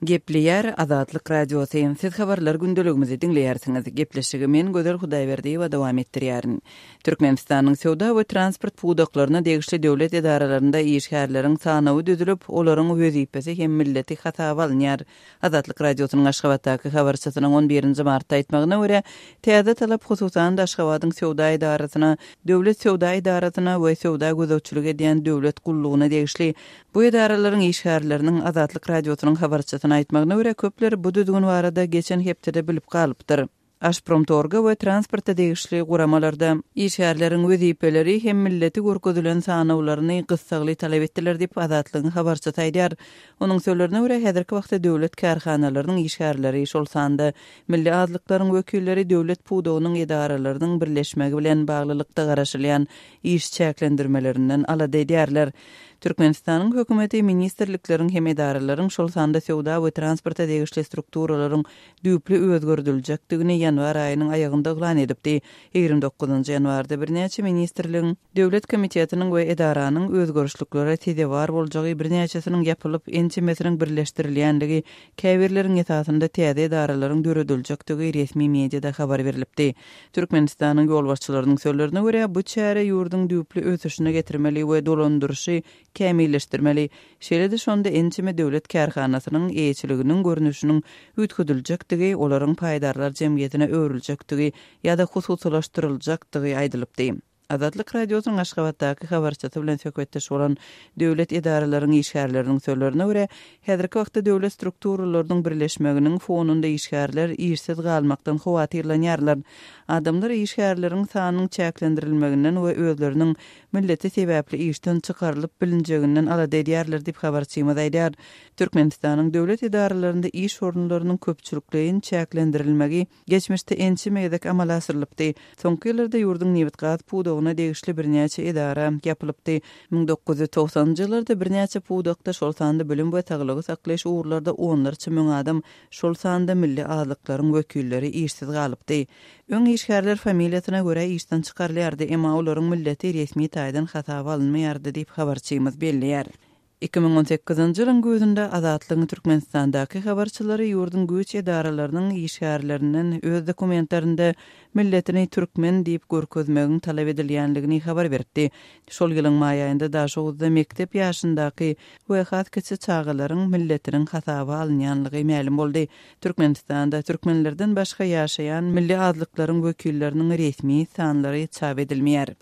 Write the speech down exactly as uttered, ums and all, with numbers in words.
Gepleýär Azatlyk Radiosy. Siz habarlar gündeligimizi diňleýärsiňiz. Gepleşigi men Gözel Hudaýberdiýewa dowam etdirýärin. Türkmenistanyň söwda we transport pudaklaryna degişli döwlet edaralarynda işgärleriň sanawy düzülip, olaryň wezipesi hem milleti hasaba alynýar. Azatlyk Radiosynyň Aşgabatdaky habarçysynyň on birinji martda aýtmagyna görä, täze talap hususan-da Aşgabadyň söwda edarasyna, döwlet söwda edarasyna we söwda gözegçilik edýän döwlet gullugyna degişli. Bu edaralaryň işgärleriniň Azatlyk Radiosynyň habarçysyna aýtmagyna görä, köpler bu düzgün barada geçen hepdede bilip galypdyr. Aşpromtorga we transporta degişli guramalarda işgärleriň wezipeleri hem milleti görkezilen sanawlaryny gyssagly talap etdiler diýip Azatlygyň habarçysy aýdýar. Onuň sözlerine görä, häzirki wagtda döwlet kärhanalarynyň işgärleri, şol sanda milli azlyklaryň wekilleri döwlet pudagynyň edaralarynyň birleşmegi bilen baglylykda garaşylýan iş çäklendirmelerinden alada edýärler. Türkmenistanyň hökümeti ministrlikleriň hem edaralaryň, şol sanda söwda we transporta degişli strukturalaryň düýpli özgerdiljekdigini ýanwar aýynyň aýagynda yglan edipdi. Ýigrimi dokuzynjy ýanwarda birnäçe ministrligiň, döwlet komitetiniň we edaranyň özgerişliklere sezewar boljagy, birnäçesiniň ýapylyp, ençemesiniň birleşdirilýänligi, käbirleriň esasynda täze edaralaryň dörediljekdigi resmi mediada habar berilipdi. Türkmenistanyň ýolbaşçylarynyň sözlerine görä, bu çäre ýurduň düýpli ösüşine getirmeli we dolandyryşy kämilleşdirmeli. Şeýle-de şonda ençeme döwlet kärhanasynyň eýeçiliginiň görnüşiniň üýtgediljekdigi, olaryň paýdarlar jemgyýetine öwrüljekdigi ýa-da hususylaşdyryljakdygy aýdylypdy. Azatlyk Radiosynyň Aşgabatdaky habarçysy bilen söhbetdeş bolan döwlet edaralaryň işgärleriniň sözlerine görä, häzirki wagtda döwlet strukturalarynyň birleşmeginiň fonunda işgärler işsiz galmakdan howatyrlanýarlar. Adamlar işgärleriň sanynyň çäklendirilmeginden we özleriniň milleti sebäpli işden çykarylyp bilinjeginden alada edýärler diýip habarçymyz aýdýar. Türkmenistanyň döwlet edaralarynda iş orunlarynyň köpçülikleýin çäklendirilmegi geçmişde ençeme gezek amala aşyrylypdy. Soňky ýyllarda ýurduň nebit-gaz pudagyna degişli birnäçe edara ýapylypdy. Müň dokuz ýüz togsanynjy ýyllarda birnäçe pudakda, şol sanda bilim we saglygy saklaýyş ugurlarda onlarça müň adam, şol sanda milli azlyklaryň wekilleri işsiz galypdy. Öň işgärler familiýasyna görä işden çykarylýardy, emma olaryň milleti resmi taýdan hasaba alynmaýardy diýip habarçymyz belleýär. Iki müň on sekizinji ýylyň güýzünde Azatlygyň Türkmenistandaky habarçylary ýurduň güýç edaralarynyň işgärlerinden öz dokumentlerinde milletini türkmen diýip görkezmegiň talap edilýänligini habar beripdi. Şol ýylyň maý aýynda Daşoguzda mekdep ýaşyndaky we has kiçi çagalaryň milletiniň hasaba alynýanlygy mälim boldy. Türkmenistanda türkmenlerden başga ýaşaýan milli azlyklaryň wekilleriniň resmi sanlary çap edilmeýär.